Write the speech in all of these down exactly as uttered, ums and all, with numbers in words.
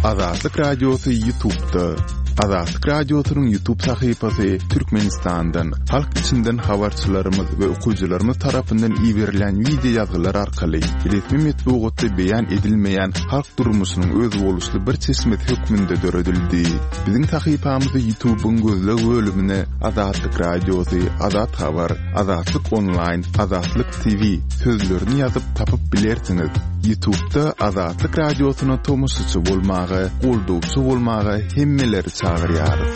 Azatlyk Radiosy YouTube'da. Azatlyk Radiosynyň YouTube sahypasy Türkmenistandan, halk içinden habarçylarymyz we okyjylarymyz tarapyndan iberilýän wideo ýazgylar arkaly resmi metbugatda beýan edilmeýän halk durmuşynyň özboluşly bir çeşmesi hökmünde döredildi. Biziň sahypamyzy YouTube'yň gözleg bölümine Azatlyk Radiosy, Azat Habar, Azatlyk Onlaýn, Azatlyk T V sözlerini ýazyp tapyp bilersiňiz. YouTube'da Azatlyk Radiosyna tomaşaçy bolmaga, goldawçy bolmaga hemmeleri çagyrýarys.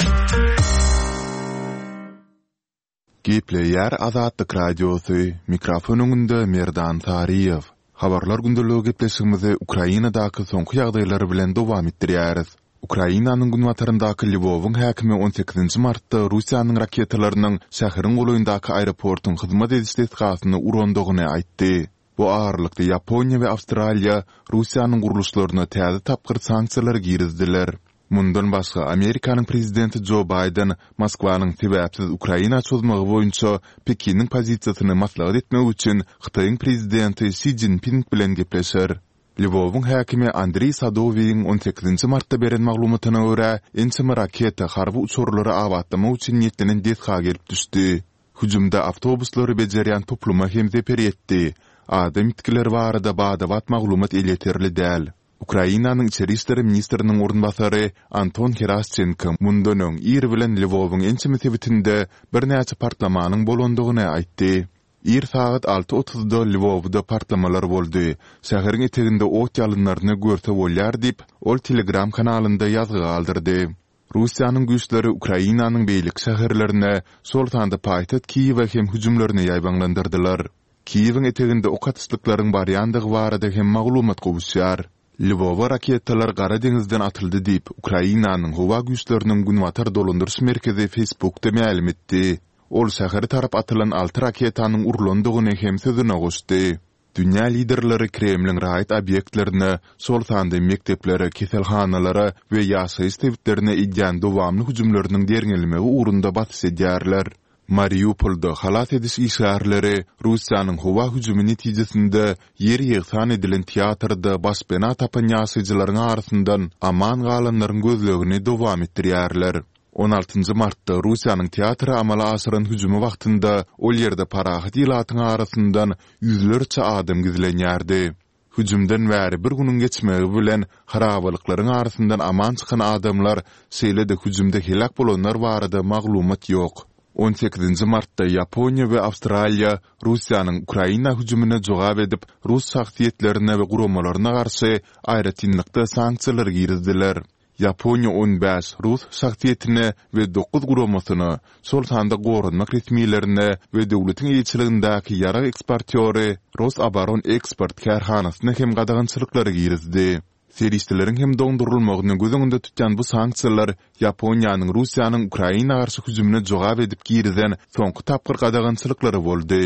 Gepleýär Azatlyk Radiosy, mikrofon öňünde Merdan Saryýew. Habarlar gündeligi gepleşigimizi Ukrainadaky soňky ýagdaýlar bilen dowam etdirýäris. Ukrainanyň günbataryndaky Lwowyň häkimi on sekizinji martda Russiýanyň raketalarynyň şäheriň golaýyndaky aeroportuň hyzmat ediş desgasyny urandygyny aýtdy. Bu aralykda Ýaponiýa we Awstraliýa Russiýanyň gurluşlaryna täze tapgyr sanksiýalary girizdiler. Mundan başga, Amerikanyň prezidenti Jo Baýden Moskwanyň sebäpsiz Ukraina çozmagy boýunça Pekiniň pozisiýasyny maslahat etmek üçin Hytaýyň prezidenti Şi Jinping bilen gepleşer. Lwowyň häkimi Andriý Sadowiýiň on sekizinji martda beren maglumatyna görä, ençeme raketa harby uçarlary abatlamak üçin niýetlenen desga gelip düşdi. Hüjümde awtobuslary bejerýän topluma hem zeper ýetdi. Adam ýitgileri barada bada-bat maglumat elýeterli däl. Ukrainanyň içeri işler ministriniň orunbasary Anton Heraşçenko mundan öň ir bilen Lwowyň ençeme sebitinde birnäçe partlamanyň bolandygyny aýtdy. Ir sagat alty otuzda Lwowda partlamalar boldy. Şäheriň eteginde ot ýalynlaryny görse bolýar diýip, ol Telegram kanalynda ýazgy galdyrdy. Russiýanyň güýçleri Ukrainanyň beýleki şäherlerine, şol sanda paýtagt Kiýewe hem hüjümlerini ýaýbaňlandyrdylar. Kiýewiň eteginde ok atyşlyklaryň barýandygy barada hem maglumat gowuşýar. Lwowa raketalar Gara deňizden atyldy diýip, Ukrainanyň howa güýçleriniň günbatar dolandyryş merkezi Facebookda mälim etdi. Ol şähere tarap atylan alty raketanyň urlandygyny hem sözüne goşdy. Dünýä liderleri Kremliň raýat obýektlerine, şol sanda mekdeplere, keselhanalara we ýaşaýyş sebitlerine edýän dowamly hüjümleriniň derňelmegi ugrunda basyş edýärler. Mariupolda halas ediş işgärleri Russiýanyň howa hüjümi netijesinde ýer ýegsan edilen teatrda başpena tapan ýaşaýjylaryň arasyndan aman galanlaryň gözlegini dowam etdirýärler. On altynjy martda Russiýanyň teatra amala aşyran hüjümi wagtynda ol ýerde parahat ilatyň arasyndan ýüzlerçe adam gizlenýärdi. Hüjümden bäri bir günüň geçmegi bilen harabalyklaryň arasyndan aman çykan adamlar, şeýle-de hüjümde heläk bolanlar barada maglumat ýok. On sekizinji martda Ýaponiýa we Awstraliýa Russiýanyň Ukraina hüjümine jogap edip, rus şahsyýetlerine we guramalaryna garşy aýratynlykda sanksiýalar girizdiler. Ýaponiýa on bäş rus şahsyýetine we dokuz guramasyna, şol sanda goranmak resmilerine we döwletiň eýeçiligindäki ýarag eksportýory Rosoboroneksport kärhanasyna hem gadagançylyklary girizdi. Serişdeleriň hem doňdurylmagyny göz öňünde tutýan bu sanksiýalar Ýaponiýanyň Russiýanyň Ukraina garşy hüjümine jogap edip girizen soňky tapgyr gadagançylyklary boldy.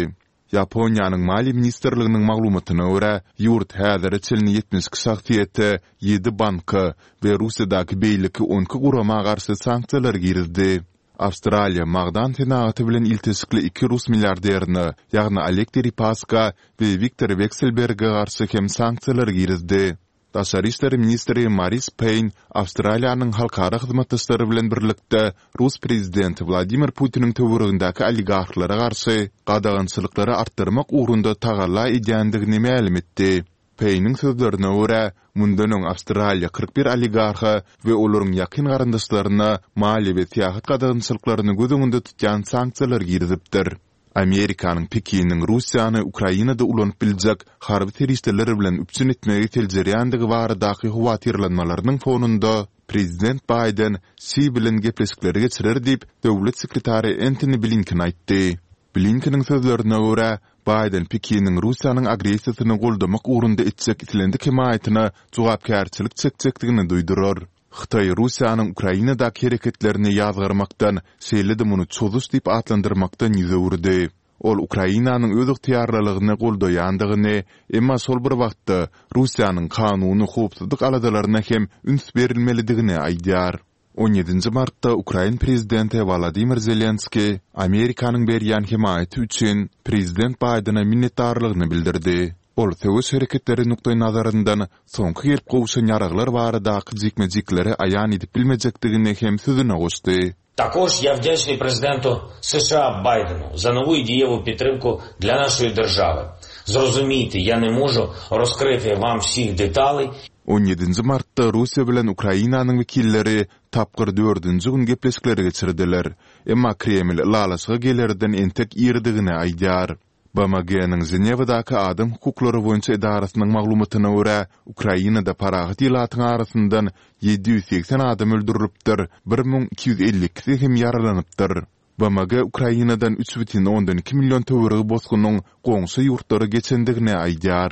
Ýaponiýanyň Maliýe ministrliginiň maglumatyna görä, ýurt häzire çenli ýetmiş iki şahsyýete, ýedi banka we Russiýadaky beýleki on iki gurama garşy sanksiýalar girizdi. Awstraliýa magdan senagaty bilen ilteşikli iki rus milliarderine, ýagny Oleg Deripaska we Wiktor Wekselberge garşy hem sanksiýalar girizdi. Daşary işler ministri Maris Peýn Awstraliýanyň halkara hyzmatdaşlary bilen birlikde rus prezidenti Wladimir Putiniň töweregindäki oligarhlara garşy gadagançylyklary artdyrmak ugrunda tagalla edýändigini mälim etdi. Peýniň sözlerine görä, mundan öň Awstraliýa kyrk bir oligarha we olaryň ýakyn garyndaşlaryna maliýe we syýahat gadagançylyklaryny göz öňünde tutýan sanksiýalar girizipdir. Amerikanyň Pekiniň Russiýany Ukrainada ulanyp biljek harby serişdeler bilen üpjün etmegi seljerýändigi baradaky howatyrlanmalarynyň fonunda prezident Baýden Şi bilen gepleşikleri geçirer diýip, döwlet sekretary Entoni Blinken aýtdy. Blinkeniň sözlerine görä, Baýden Pekiniň Russiýanyň agressiýasyny goldamak ugrunda etjek islendik hemaýatyna jogapkärçilik çekjekdigini duýdurar. Hytaý Russiýanyň Ukrainadaky hereketlerini ýazgarmakdan, şeýle-de muny çozuş diýip atlandyrmakdan ýüz öwürdi. Ol Ukrainanyň öz ygtyýarlylygyny goldaýandygyny, emma şol bir wagtda Russiýanyň kanuny howpsuzlyk aladalaryna hem üns berilmelidigini aýdýar. On ýedinji martda ukrain prezidenti Wolodymyr Zelenskiý Amerikanyň berýän hemaýaty üçin prezident Baýdene minnetdarlygyny bildirdi. Ol söweş hereketleri nukdaýnazaryndan soňky gelip gowşan ýaraglar baradaky jikme-jikleri aýan edip bilmejekdigini hem sözüne goşdy. Також я вдячний президенту США Байдену за нову і дієву підтримку для нашої держави. Зрозумійте, я не можу розкрити вам всіх деталей. On ýedinji martda Russiýa bilen Ukrainanyň wekilleri tapgyr dördünji gün gepleşikleri geçirdiler. Emma Kreml ylalaşyga gelerden entek irdigini aýdýar. B M G-niň Ženewadaky adam hukuklary boýunça edarasynyň maglumatyna görä, Ukrainada parahat ilatyň arasyndan ýedi ýüz segsen adam öldürilipdir, bir müň iki ýüz elli ikisi hem ýaralanypdyr. B M G Ukrainadan üç bütin ondan iki million töweregi bosgunyň goňşy ýurtlara geçendigini aýdýar.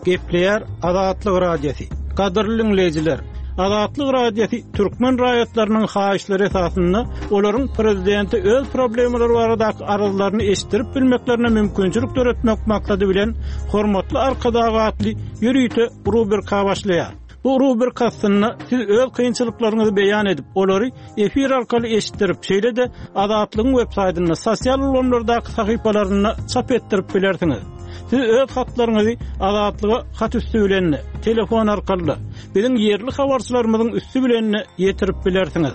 Gepleýär Azatlyk Radiosy. Gadyrly diňleýjiler, Azatlyk Radiosy türkmen raýatlarynyň haýyşlary esasynda olaryň prezidenti öz problemalary baradaky arzlaryny eşitdirip bilmeklerine mümkinçilik döretmek maksady bilen Hormatly Arkadag atly ýörite rubrika başlaýar. Bu rubrika astynda siz öz kynçylyklaryňyzy beýan edip, olary efir arkaly eşitdirip, şeýle-de Azatlygyň web saýtynda, sosial ulgamlardaky sahypalarynda çap etdirip bilersiňiz. Siz öz hatlaryňyzy Azatlyga hat üstü bilen, telefon arkaly, biziň ýerli habarçylarymyzyň üstü bilen ýetirip bilersiňiz.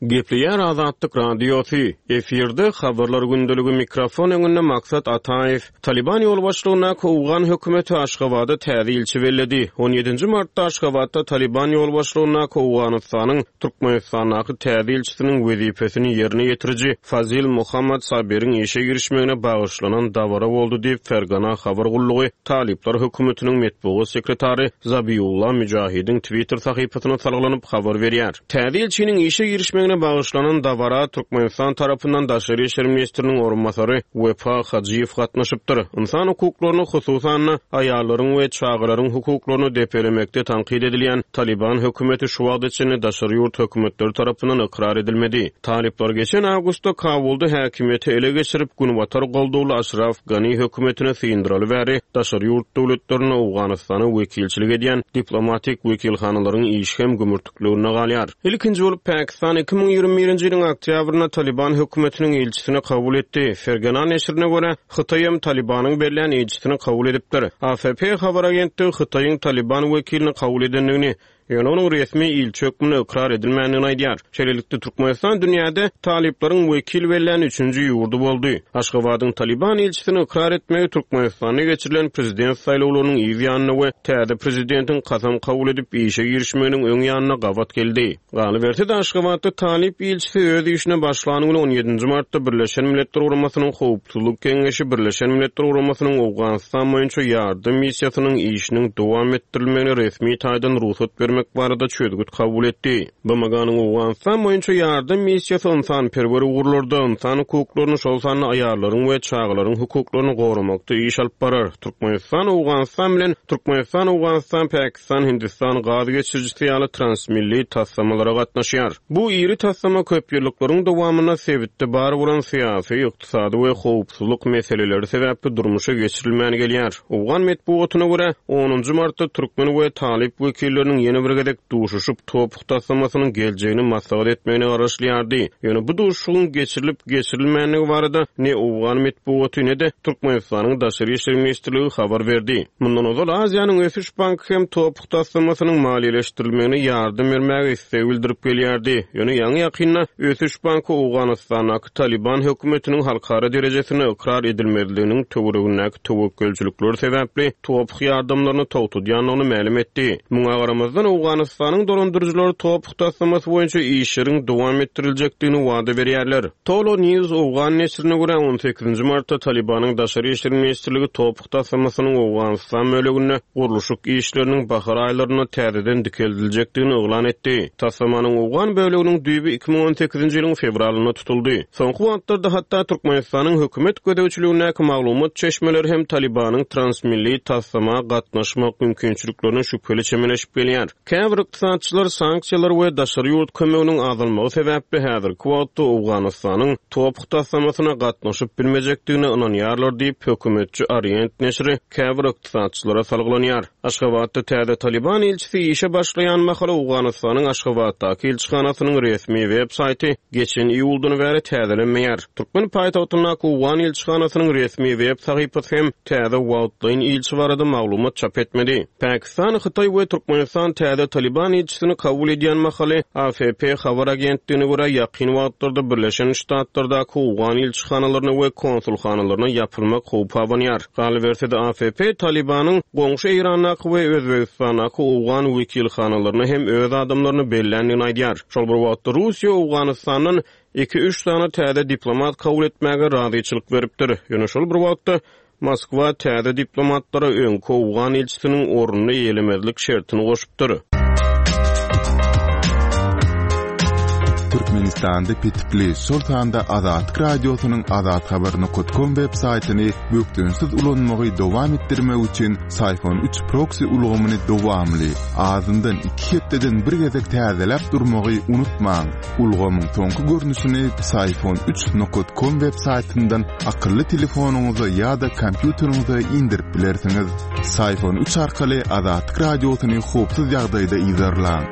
Gepleýär Azatlyk Radiosy, efirde habarlar gündeligi mikrofon öňünde Maksat Ataýew. Taliban ýolbaşçylygyndaky Owgan hökümeti Aşgabatda täze ilçi belledi. On ýedinji martda Aşgabatda Taliban ýolbaşçylygyndaky Owganystanyň Türkmenistandaky täze ilçisiniň wezipesini ýerine ýetiriji Fazil Muhammad Sabiriň işe girişmegine bagyşlanan dabara boldy diýip Fergana habar gullugy Talyplar hökümetiniň metbugat sekretary Zabiullah Müjahidiň Twitter sahypasyna salgylanyp habar berýär. Täze ilçiniň işe girişmegine bagyşlanan dabara Türkmenistan tarapyndan Daşary işler ministriniň orunbasary Wepa Hajyýew gatnaşypdyr. Insan hukuklaryny, hususan aýallaryň we çagalaryň hukuklaryny depelemekde tankyt edilýän Taliban hökümeti şu wagta çenli daşary ýurt hökümetleri tarapyndan ykrar edilmedi. Talyplar geçen awgustda Kabulda häkimiýeti ele geçirip, Günbatar goldawly Aşraf Gani hökümetine syndyraly bäri daşary ýurt döwletlerine Owganystana wekilçilik edýän diplomatik wekilhanalaryň işi hem gümürtikligine galýar. Ilkinji bolup Pakistan iki müň ýigrimi birinji ýylyň oktýabrynda Taliban hökümetiniň ilçisini kabul etdi. Fergana neşirine görä, Hytaý hem Talibanyň berlen ilçisini kabul edipdir. A F P habar agentligi Hytaýyň Taliban wekilini kabul edendigini, ýöne onuň resmi ilçi hökmünde ykrar edilmändigini aýdýar. Şeýlelikde Türkmenistan dünýäde talyplaryň wekil berlen üçünji ýurdy boldy. Aşgabadyň Taliban ilçisini ykrar etmegi Türkmenistanda geçirilen prezident saýlawlarynyň yz ýanyna we täze prezidentiň kasam kabul edip işe girişmeginiň öň ýanyna gabat geldi. Galyberse-de Aşgabatda talyp ilçisi öz işine başlan güni on ýedinji martda Birleşen Milletler Guramasynyň Howpsuzlyk Geňeşi Birleşen Milletler Guramasynyň Owganystan boýunça ýardam missiýasynyň işiniň dowam etdirilmegine resmi taýdan rugsat bermek barada çözgüt kabul etdi. B M G-nyň Owganystan boýunça ýardam missiýasy ynsanperwer ugurlarda insan hukuklaryny, şol sanda aýallaryň we çagalaryň hukuklaryny goramakda iş alyp barar. Türkmenistan Owganystan bilen Türkmenistan Owganystan Pakistan Hindistan gaz geçirijisi ýaly transmilli taslamalara gatnaşýar. Bu iri taslama köp ýyllyklaryň dowamynda sebitde bar bolan syýasy, ykdysady we howpsuzlyk meseleleri sebäpli durmuşa geçirilmän gelýär. Owgan metbugatyna görä, onunjy martda türkmen we talyp wekilleriniň ýene bir gezek duşuşyp topuk taslamasynyň geljegini maslahat etmegine garaşylýardy. Ýöne bu duşuşygyň geçirilip geçirilmänligi barada ne Owgan metbugaty ne-de Türkmenistanyň Daşary işler ministrligi habar berdi. Mundan ozal Aziýanyň Ösüş Banky hem topuk taslamasynyň maliýeleşdirilmegine ýardam bermäge isleg bildirip gelýärdi. Ýöne ýaňy ýakynda Ösüş Banky Owganystandaky Taliban hökümetiniň halkara derejesinde ykrar edilmezliginiň töweregindäki töwekgelçilikler sebäpli topuk ýardamlaryny togtadýandygyny mälim etdi. Muňa garamazdan Owganystanyň dolandyryjylary topuk taslamasy boýunça işleriň dowam etdiriljekdigini wada berýärler. Tolo News Owgan neşirine görä on sekizinji martda Talibanyň Daşary işler ministrligi topuk taslamasynyň Owganystan böleginde gurluşyk işleriniň bahar aýlarynda täzeden dikeldiljekdigini yglan etdi. Taslamanyň Owgan böleginiň düýbi iki müň on sekizinji ýylyň fewralynda tutuldy. Soňky wagtlarda hatda Türkmenistanyň hökümet gözegçiligindäki maglumat çeşmeleri hem Talibanyň transmilli taslama gatnaşmak mümkinçiliklerine şübheli çemeleşip gelýär. Käbir ykdysatçylar sanksiýalar we daşary ýurt kömeginiň azalmagy sebäpli häzirki wagtda Owganystanyň T O P taslamasyna gatnaşyp bilmejekdigine ynanýarlar diýip, hökümetçi Orient neşiri käbir ykdysatçylara salgylanýar. Aşgabatda täze Taliban ilçisi işe başlaýan mahaly Owganystanyň Aşgabatdaky ilçihanasynyň resmi web saýty geçen iýuldan bäri täzelenmeýär. Türkmen paýtagtyndaky Owgan ilçihanasynyň resmi web sahypasy hem täze wagtlaýyn ilçi barada maglumat çap etmedi. Pakistan, Hytaý we Türkmenistan täze Taliban ilçisini kabul edýän mahaly A F P habar agentligine görä ýakyn wagtlarda Birleşen Ştatlardaky Owgan ilçihanalaryna we konsulhanalaryna ýapylmak howpy abanýar. Galyberse-de A F P Talibanyň goňşy Eýrandaky we Özbegistandaky Owgan wekilhanalaryna hem öz adamlaryny belländigini aýdýar. Şol bir wagtda Russiýa Owganystandan iki-üç sany täze diplomat kabul etmäge razyçylyk beripdir. Ýöne şol bir wagtda Moskwa täze diplomatlara öňki Owgan ilçisiniň ornuny eýelemezlik şertini goşupdyr. Türkmenistanda petikli, şol sanda Azatlyk Radiosynyň azathabar nokta com web saýtyny bökdençsiz ulanmagy dowam etdirmek üçin Psiphon üç proksi ulgamyny dowamly, azyndan iki hepdeden bir gezek täzeläp durmagy unutmaň. Ulgamyň soňky görnüşini psiphon üç nokta com web saýtyndan akylly telefonyňyza ýa-da kompýuteriňize indirip bilersiňiz. Psiphon üç arkaly Azatlyk Radiosyny howpsuz ýagdaýda yzarlaň.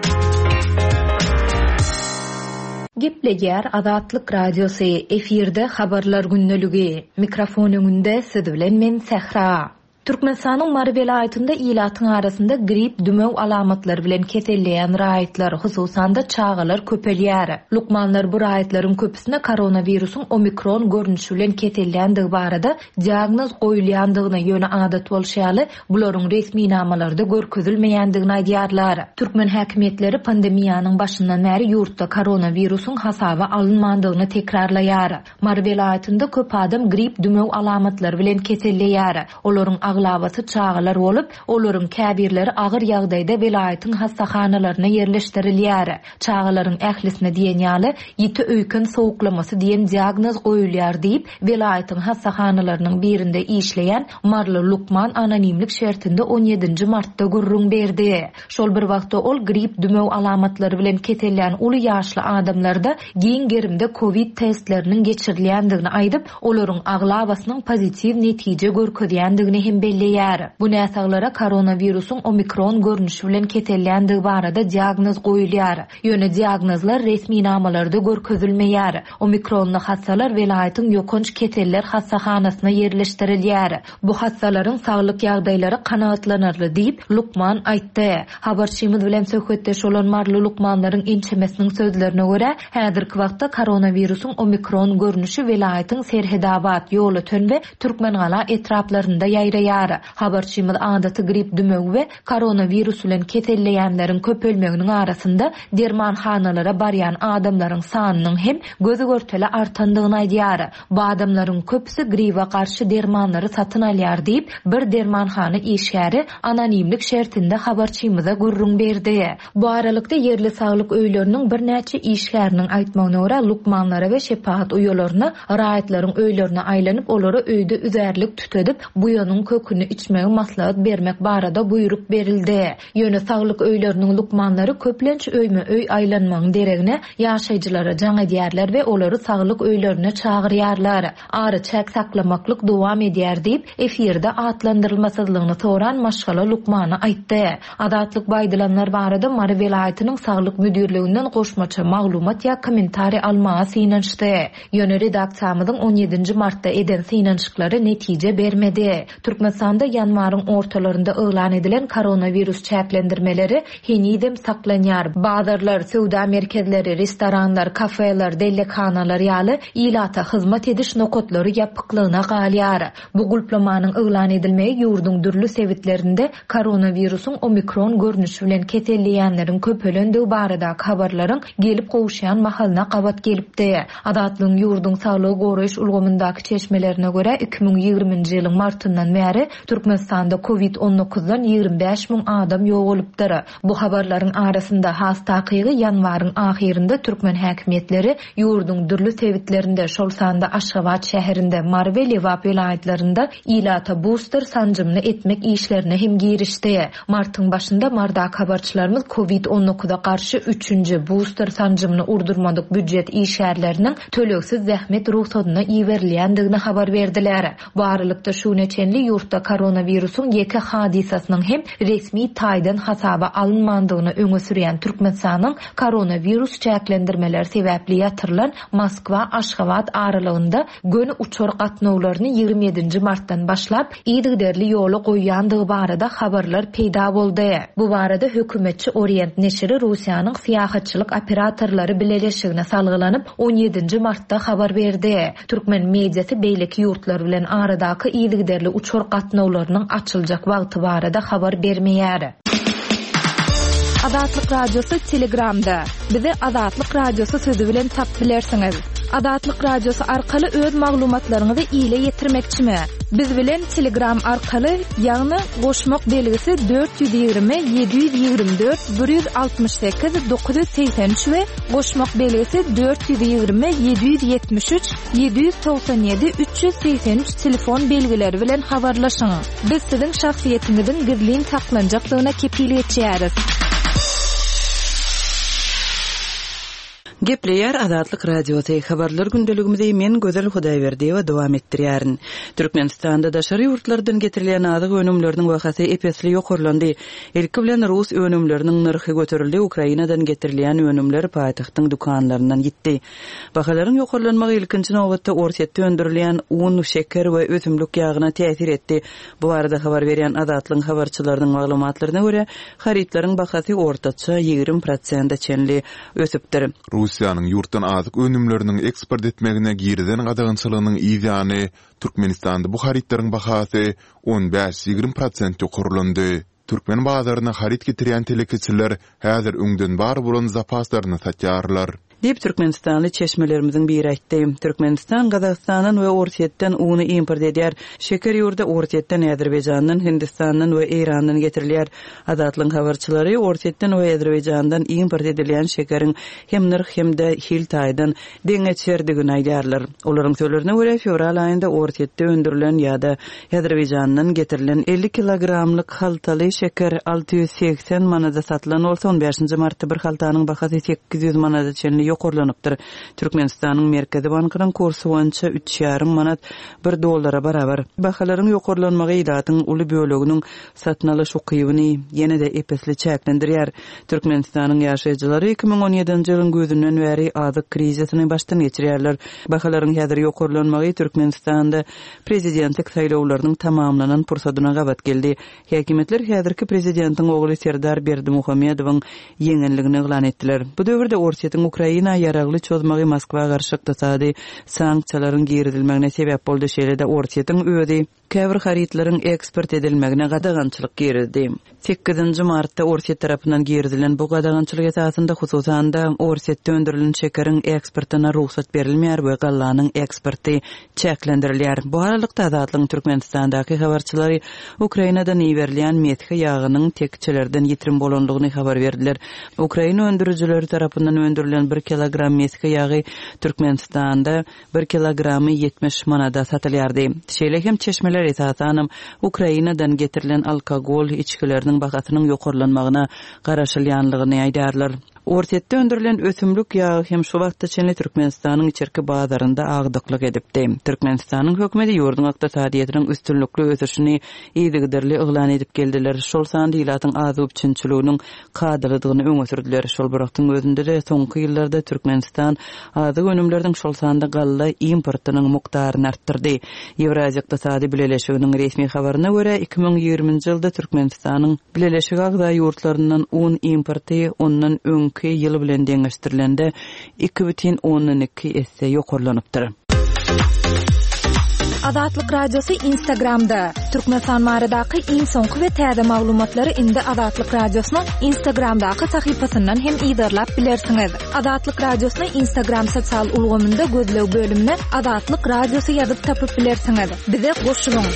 Gepleýär Azatlyk Radiosy, efirde habarlar gündeligi. Mikrofon öňünde siz bilen men Sähra. Türkmenistanyň Mary welaýatynda ilatyň arasynda grip dümew alamatlary bilen keselleýän raýatlar, hususan-da çagalar köpelýär. Lukmanlar bu raýatlaryň köpüsine koronawirusyň omikron görnüşi bilen keselländigi barada diagnoz goýulýandygyny, ýöne adat bolşy ýaly bularyň resminamalarda görkezilmeýändigini aýdýarlar. Türkmen häkimiýetleri pandemiýanyň başyndan bäri ýurtda koronawirusyň hasaba alynmandygyny tekrarlaýar. Mary welaýatynda köp adam grip dümew alamatlary bilen keselleýär. Olaryň aglabasy çagalar bolup, olaryň käbirleri agyr ýagdaýda welaýatyň hassahanalaryna ýerleşdirilýär. Çagalaryň ählisine diýen ýaly ýiti öýken sowuklamasy diýen diagnoz goýulýar diýip, welaýatyň hassahanalarynyň birinde işleýän Marly lukman anonimlik şertinde on ýedinji martda gürrüň berdi. Şol bir wagtda ol grip dümew alamatlary bilen kesellän uly ýaşly adamlarda giň gerimde COVID testleriniň geçirilýändigini aýdyp, olaryň aglabasynyň pozitiw netije görkezýändigini hem belleýär. Bu näsaglara koronawirusyň omikron görnüşi bilen keselländigi barada diagnoz goýulýar. Ýöne diagnozlar resminamalarda görkezilmeýär. Omikronly hassalar welaýatyň ýokanç keseller hassahanasyna ýerleşdirilýär. Bu hassalaryň saglyk ýagdaýlary kanagatlanarly diýip lukman aýtdy. Habarçymyz bilen söhbetdeş bolan Marly lukmanlaryň ençemesiniň sözlerine görä, häzirki wagtda koronawirusyň omikron görnüşi welaýatyň Serhedabat, Ýolöten we Türkmengala etraplarynda ýaýraýar. Habarçymyz adaty grip dümewi we koronawirus bilen keselleýänleriň köpelmeginiň arasynda dermanhanalara barýan adamlaryň sanynyň hem göz görtele artandygyny aýdýar. Bu adamlaryň köpüsi gribe garşy dermanlary satyn alýar diýip, bir dermanhana işgäri anonimlik şertinde habarçymyza gürrüň berdi. Bu aralykda ýerli saglyk öýleriniň birnäçe işgäriniň aýtmagyna görä, lukmanlara we şepagat uýalaryna raýatlaryň öýlerine aýlanyp, olara öýde üzärlik tütedip, buýanyň köküni içmegi maslahat bermek barada buýruk berildi. Ýöne saglyk öýleriniň lukmanlary köplenç öýme öý aýlanmagyň deregine ýaşaýjylara jaň edýärler we olary saglyk öýlerine çagyrýarlar. Ara çäk saklamaklyk dowam edýär diýip, efirde atlandyrylmasyzlygyny soran maşgala lukmany aýtdy. Azatlyk baýdylanlar barada Mary welaýatynyň saglyk müdirliginden goşmaça maglumat ýa kommentariý almaga synanyşdy. Ýöne redaksiýamyzyň on ýedinji martda eden synanyşyklary netije bermedi. Türkmenistanda ýanwaryň ortalarynda yglan edilen koronawirus çäklendirmeleri henizem saklanýar. Bazarlar, söwda merkezleri, restoranlar, kafeler, dellekhanalar ýaly ilata hyzmat ediş nokatlary ýapyklygyna galýar. Bu gulplamanyň yglan edilmegi ýurduň dürli sebitlerinde koronawirusyň omikron görnüşi bilen keselleýänleriň köpelendigi baradaky habarlaryň gelip gowuşýan mahalyna gabat gelipdi. Azatlygyň ýurduň saglygy goraýyş ulgamyndaky çeşmelerine görä iki müň ýigriminji ýylyň martyndan bäri bäri Türkmenistanda Covid on dokuzdan ýigrimi bäş müň adam ýogalypdyr. Bu habarlaryň arasynda has takygy ýanwaryň ahyrynda türkmen häkimiýetleri ýurduň dürli sebitlerinde, şol sanda Aşgabat şäherinde, Mary we Lebap welaýatlarynda ilata booster sanjymyny etmek işlerine hem girişdi. Martyň başynda Mardak habarçylarymyz Covid on dokuza garşy üçünji booster sanjymyny urdurmadyk býujet işgärleriniň tölegsiz zähmet ruhsadyna iberilýändigini habar berdiler. Bu aralykda şuna çenli ýurtda koronawirusyň ýeke hadysasynyň hem resmi taýdan hasaba alynmandygyny öňe sürýän Türkmenistanyň koronawirus çäklendirmeleri sebäpli ýatyrylan Moskwa Aşgabat aralygynda göni uçar gatnawlaryny ýigrimi ýedinji martdan başlap yzygiderli ýola goýýandygy barada habarlar peýda boldy. Bu barada hökümetçi Orient neşiri Russiýanyň syýahatçylyk operatorlary bileleşigine salgylanyp on ýedinji martda habar berdi. Türkmen mediasy beýleki ýurtlar bilen aradaky yzygiderli uçar gatnawlarynyň açyljak wagty barada habar bermeýär. Azatlyk Radiosy Telegramda. Bizi Azatlyk Radiosy sözü bilen tap bilersiňiz. Azatlyk Radiosy arkaly öz maglumatlaryňyzy ile ýetirmekçimi? Biz bilen Telegram arkaly, ýagny goşmak belgisi dört ýüz ýigrimi, ýedi ýüz ýigrimi dört, bir ýüz altmyş sekiz, dokuz ýüz segsen üç we goşmak belgisi dört ýüz ýigrimi, ýedi ýüz ýetmiş üç, ýedi ýüz togsan ýedi, üç ýüz segsen üç telefon belgileri bilen habarlaşyň. Biz siziň şahsyýetiňiziň gizlin saklanjakdygyna kepil geçýäris. Gepleýär Azatlyk Radiosy habarlar gündeligimizi men Gözel Hudaýberdiýewa dowam etdirýärin. Türkmenistanda daşary ýurtlardan getirilýän azyk önümleriniň bahasy epesli ýokarlandy. Ilki bilen rus önümleriniň nyrhy göterildi, Ukrainadan getirilýän önümler paýtagtyň dükanlaryndan gitdi. Bahalaryň ýokarlanmagy ilkinji nobatda Orsýetde öndürilýän un, şeker we ösümlik ýagyna täsir etdi. Bu barada habar berýän Azatlygyň habarçylarynyň maglumatlaryna görä, harytlaryň bahasy ortaça ýigrimi prosente çenli ösüpdir. Russiýanyň ýurtdan azyk önümleriniň eksport etmegine girizen gadagançylygynyň ýany Türkmenistanda bu harytlaryň bahasy on bäş-ýigrimi prosent ýokarlandy. Türkmen bazaryna haryt getirýän telekeçiler häzir öňden bar bolan zapaslaryny satýarlar. Diýip Türkmenistanly çeşmelerimiziň biri aýtdy. Türkmenistan Gazagystandan we Orsýetden uny import edýär. Şeker ýurda Orsýetden, Azerbaýjandan, Hindistandan we Eýrandan getirilýär. Azatlygyň habarçylary Orsýetden we Azerbaýjandan import edilýän şekeriň hem nyrh hem-de hil taýdan deňeçerdigini aýdýarlar. Olaryň sözlerine görä fewral aýynda Orsýetde öndürilen ýa-da Azerbaýjandan getirilen elli kilogramlyk haltaly şeker alty ýüz segsen manada satylan bolsa, on bäşinji martda bir haltanyň bahasy sekiz ýüz manada çenli ýokarlanypdyr. Türkmenistanyň Merkezi Bankynyň kursy boýunça üç ýarym manat bir dollara barabar. Bahalaryň ýokarlanmagy ilatyň uly böleginiň satyn alyş ukybyny ýene-de epesli çäklendirýär. Türkmenistanyň ýaşaýjylary iki müň on ýedinji ýylyň güýzünden bäri azyk krizisini başdan geçirýärler. Bahalaryň häzir ýokarlanmagy Türkmenistanda prezidentlik saýlawlarynyň tamamlanan pursadyna gabat geldi. Häkimiýetler häzirki prezidentiň ogly Serdar Berdimuhamedowyň ýeňenligini yglan etdiler. Bu döwürde Orsýetiň Ukraina ýaragly çozmagy Moskwa garşy ykdysady sanksiýalaryň girizilmegine sebäp boldy. Şeýle-de Orsýetiň özi käbir harytlaryň eksport edilmegine gadagançylyk girizdi. Sekizinji martda Orsýet tarapyndan girizilen bu gadagançylyk esasynda hususan-da Orsýetde öndürilen şekeriň eksportyna rugsat berilmeýär we gallanyň eksporty çäklendirilýär. Bu aralykda Azatlygyň Türkmenistandaky habarçylary Ukrainadan iberilýän mesge ýagynyň tekçelerden ýitirim bolanlygyny habar berdiler. Ukraina öndürijileri tarapyndan öndürilen bir kilogram mesge ýagy Türkmenistanda bir kilogramy ýetmiş manada satylýardy. Şeýle hem çeşmeler esasanam Ukrainadan getirilen alkogol içgileriniň bahasynyň ýokarlanmagyna garaşylýanlygyny aýdarlar. Orsýetde öndürilen ösümlik ýagy hem şu wagtda çenli Türkmenistanyň içerki bazarynda agdyklyk edipdi. Türkmenistanyň hökümeti ýurduň ykdysadyýetiniň üstünlikli ösüşini yzygiderli yglan edip geldiler. Şol sanda ilatyň azyk üpjünçiliginiň kadalydygyny öňe sürdüler. Şol bir wagtyň özünde-de soňky ýyllarda Türkmenistan azyk önümleriniň şol sanda galla importynyň mukdaryny artdyrdy. Ýewraziýa Ykdysady Bileleşiginiň resmi habaryna görä iki müň ýigriminji ýylda Türkmenistanyň Bileleşik agza ýurtlaryndan un importy ondan öňki ýyl bilen deňeşdirilende iki bütin ondan iki esse ýokarlanypdyr. Azatlyk Radiosy Instagramda. Türkmenistan baradaky iň soňky we täze maglumatlary indi Azatlyk Radiosynyň Instagramdaky sahypasyndan hem yzarlap bilersiňiz. Azatlyk Radiosyny Instagram sosial ulgamynda gözleg bölümine Azatlyk Radiosy ýazyp tapyp bilersiňiz. Bize goşulyň.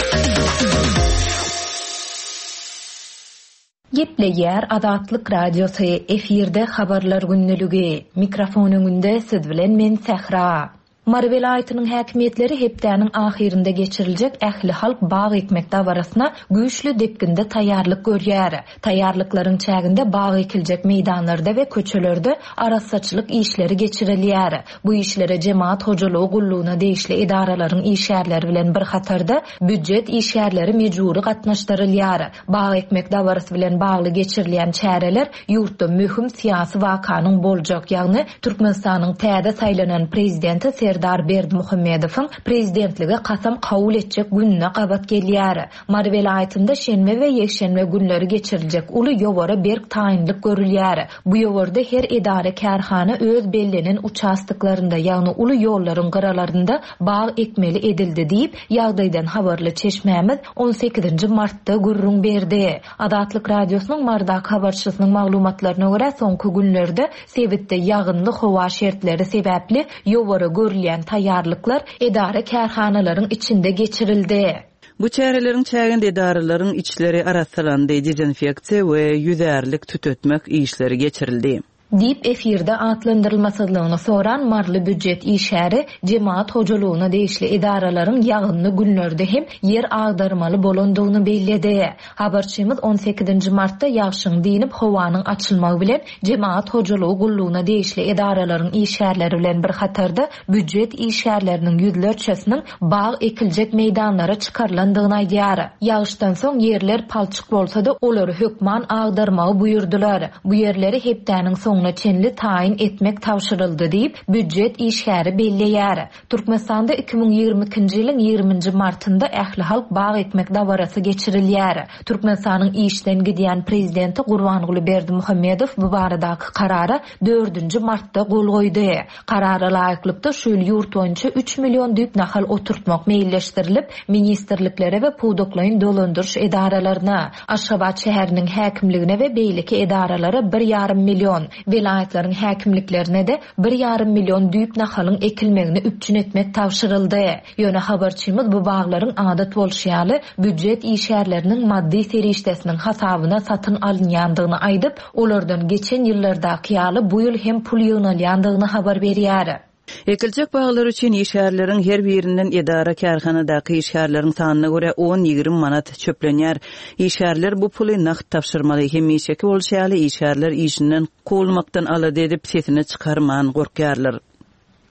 Gepleýär Azatlyk Radiosy, efirde habarlar gündeligi. Mikrofon öňünde siz bilen men Sähra. Mary welaýatynyň häkimiýetleri hepdäniň ahyrynda geçiriljek ähli halk bag ekmek dabarasyna güýçli depginde taýýarlyk görýär. Taýýarlyklaryň çäginde bag ekiljek meýdanlarda we köçelerde arassaçylyk işleri geçirilýär. Bu işlere jemaat hojalygy gullugyna degişli edaralaryň işgärleri bilen bir hatarda býujet işgärleri mejbury gatnaşdyrylýar. Bag ekmek dabarasy bilen bagly geçirilýän çäreler ýurtda möhüm syýasy wakanyň boljak, ýagny Türkmenistanyň täze saýlanan prezidenti Serdar Berdimuhamedowyň prezidentlige kasam kabul etjek gününe gabat gelýär. Mary welaýatynda şenbe we ýekşenbe günleri geçiriljek uly ýowara berk taýynlyk görülýär. Bu ýowarda her edara kärhana öz bellenen uçastyklarynda, ýagny uly ýollaryň gyralarynda bag ekmeli edildi diýip, ýagdaýdan habarly çeşmämiz on sekizinji martda gürrüň berdi. Azatlyk Radiosynyň Mardak habarçysynyň maglumatlaryna görä, soňky günlerde sebitde ýagynly howa şertleri sebäpli ýowara görülýän taýýarlyklar edara kärhanalaryň içinde geçirildi. Bu çäreleriň çäginde edaralaryň içleri arassalandy, dezinfeksiýa we ýüzärlik tütetmek işleri geçirildi. Diýip efirde atlandyrylmasyzlygyny soran Marly býujet işgäri jemaat hojalygyna degişli edaralaryň ýagynly günlerde hem ýer agdarmaly bolandygyny belledi. Habarçymyz on sekizinji martda ýagşyň diýnip howanyň açylmagy bilen jemaat hojalygy gullugyna degişli edaralaryň işgärleri bilen bir hatarda býujet işgärleriniň ýüzlerçesiniň bag ekiljek meýdanlara çykarylandygyny aýdýar. Ýagşdan soň ýerler palçyk bolsa-da olary hökman agdarmagy buýurdylar. Bu ýerleri hepdäniň soňuna çenli taýyn etmek tabşyryldy diýip býujet işgäri belleýär. Türkmenistanda iki müň ýigrimi ikinji ýylyň ýigriminji martynda ähli halk bag ekmek dabarasy geçirilýär. Türkmenistanyň işden gidýän prezidenti Gurbanguly Berdimuhamedow bu baradaky karara dördünji martda gol goýdy. Karara laýyklykda şu ýyl ýurt boýunça üç million düýp nahal oturtmak meýilleşdirilip, ministrliklere we pudaklaýyn dolandyryş edaralaryna, Aşgabat şäheriniň häkimligine we beýleki edaralara bir ýarym million, welaýatlaryň häkimliklerine de bir ýarym million düýp nahalyň ekilmegini üpjün etmek tabşyryldy. Ýöne habarçymyz bu baglaryň adat bolşy ýaly býujet işgärleriniň maddy serişdesiniň hasabyna satyn alynýandygyny aýdyp, olardan geçen ýyllardaky ýaly bu ýyl hem pul ýygnalýandygyny habar berýär. Ekiljek baglar üçin işgärleriň her birinden edara kärhanadaky işgärleriň sanyna görä on ýigrimi manat çöplenýär. Işgärler bu puly nagt tabşyrmaly. Hemişeki bolşy ýaly işgärler işinden kowulmakdan alada edip sesini çykarman gorkýarlar.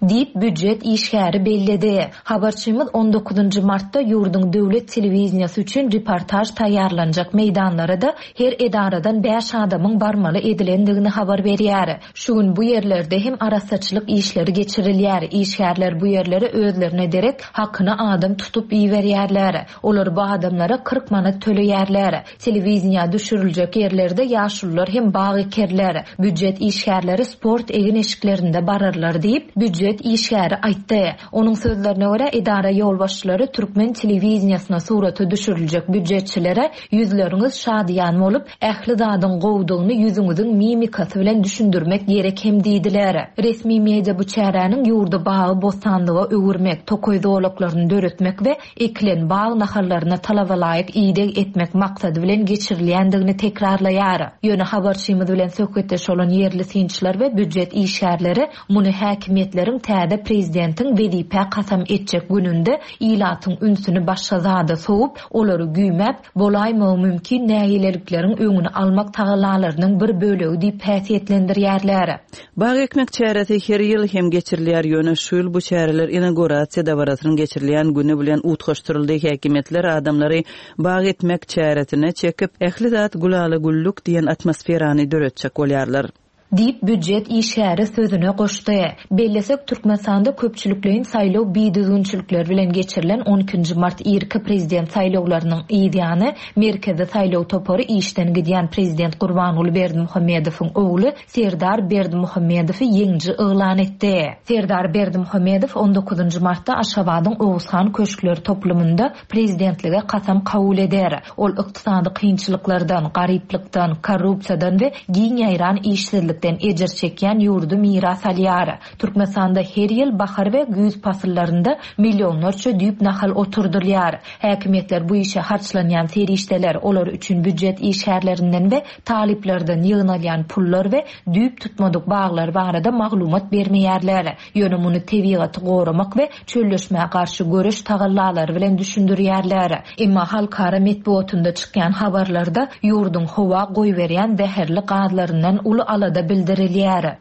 Diýip býujet işgäri belledi. Habarçymyz on dokuzynjy martda ýurduň döwlet telewiziýasy üçin reportaj taýýarlanjak meýdanlara da her edaradan bäş adamyň barmaly edilendigini habar berýär. Şu gün bu ýerlerde hem arassaçylyk işleri geçirilýär. Işgärler bu ýerlere özlerine derek hakyna adam tutup iberýärler. Olar bu adamlara kyrk manat töleýärler. Telewiziýa düşüriljek ýerlerde ýaşulular hem bag ekerler. Býujet işgärleri sport egin-eşiklerinde bararlar diýip býujet işgäri aýtdy. Onuň sözlerine görä edara ýolbaşçylary Türkmen telewiziýasyna surata düşüriljek býujetçilere ýüzleriňiz şadyýan bolup, ähli zadyň gowdugyny ýüzüňiziň mimikasy bilen düşündirmek gerek hem diýdiler. Resmi media bu çäräniň ýurdy bagy bostanlyga öwürmek, tokaý zolaklaryny döretmek we ekilen bag nahallaryna talaba laýyk ideg etmek maksady bilen geçirilýändigini tekrarlaýar. Ýöne habarçymyz bilen söhbetdeş bolan ýerli synçylar we býujet işgärleri muny häkimiýetleriň täze prezidentiň wezipe kasam etjek gününde ilatyň ünsüni başga zada sowup, olary güýmäp, bolaýmagy mümkin nägilelikleriň öňüni almak tagallalarynyň bir bölegi diýip häsiýetlendirýärler. Bag ekmek çäresi her ýyl hem geçirilýär. Ýöne şu ýyl bu çäreler inaugurasiýa dabarasynyň geçirilýän güni bilen utgaşdyryldy. Häkimiýetler adamlary bag etmek çäresine çekip, ähli zat gülala güllük diýen atmosferany döretjek bolýarlar. Diýip, býujet işgäri sözüne goşdy. Bellesek, Türkmenistanda köpçülikleýin saýlaw bidüzgünçilikleri bilen geçirilen on ikinji mart irki prezident saýlawlarynyň yz ýany, Merkezi saýlaw topary işden gidýän prezident Gurbanguly Berdimuhamedowyň ogly Serdar Berdimuhamedowy ýeňiji yglan etdi. Serdar Berdimuhamedow on dokuzynjy martda Aşgabadyň Oguzhan köşkler toplumynda prezidentlige kasam kabul eder. Ol ykdysady kynçylyklardan, garyplykdan, korrupsiýadan we giň ýaýran işsizlikden ejir çekýän ýurdy miras alýar. Türkmenistanda her ýyl bahar we güýz pasyllarynda millionlarça düýp nahal oturdylýar. Häkimiýetler bu işe harçlanýan serişdeler, olar üçin býujet işgärlerinden we talyplardan ýygnalýan pullar we düýp tutmadyk baglar barada maglumat bermeýärler. Ýöne muny tebigaty goramak we çölleşmä garşy göreş tagallalary bilen düşündirýärler. Emma halkara metbugatynda çykýan habarlarda ýurduň howa goýberýän zäherli gazlaryndan uly alada bildirilýär.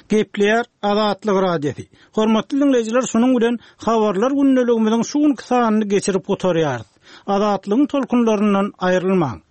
Gepleýär Azatlyk Radiosy. Hormatly dinleýjiler, şunuň bilen habarlar gündeligimiziň şu günki sanyny geçirip gutarýarys. Azatlygyň tolkunlaryndan aýrylmaň.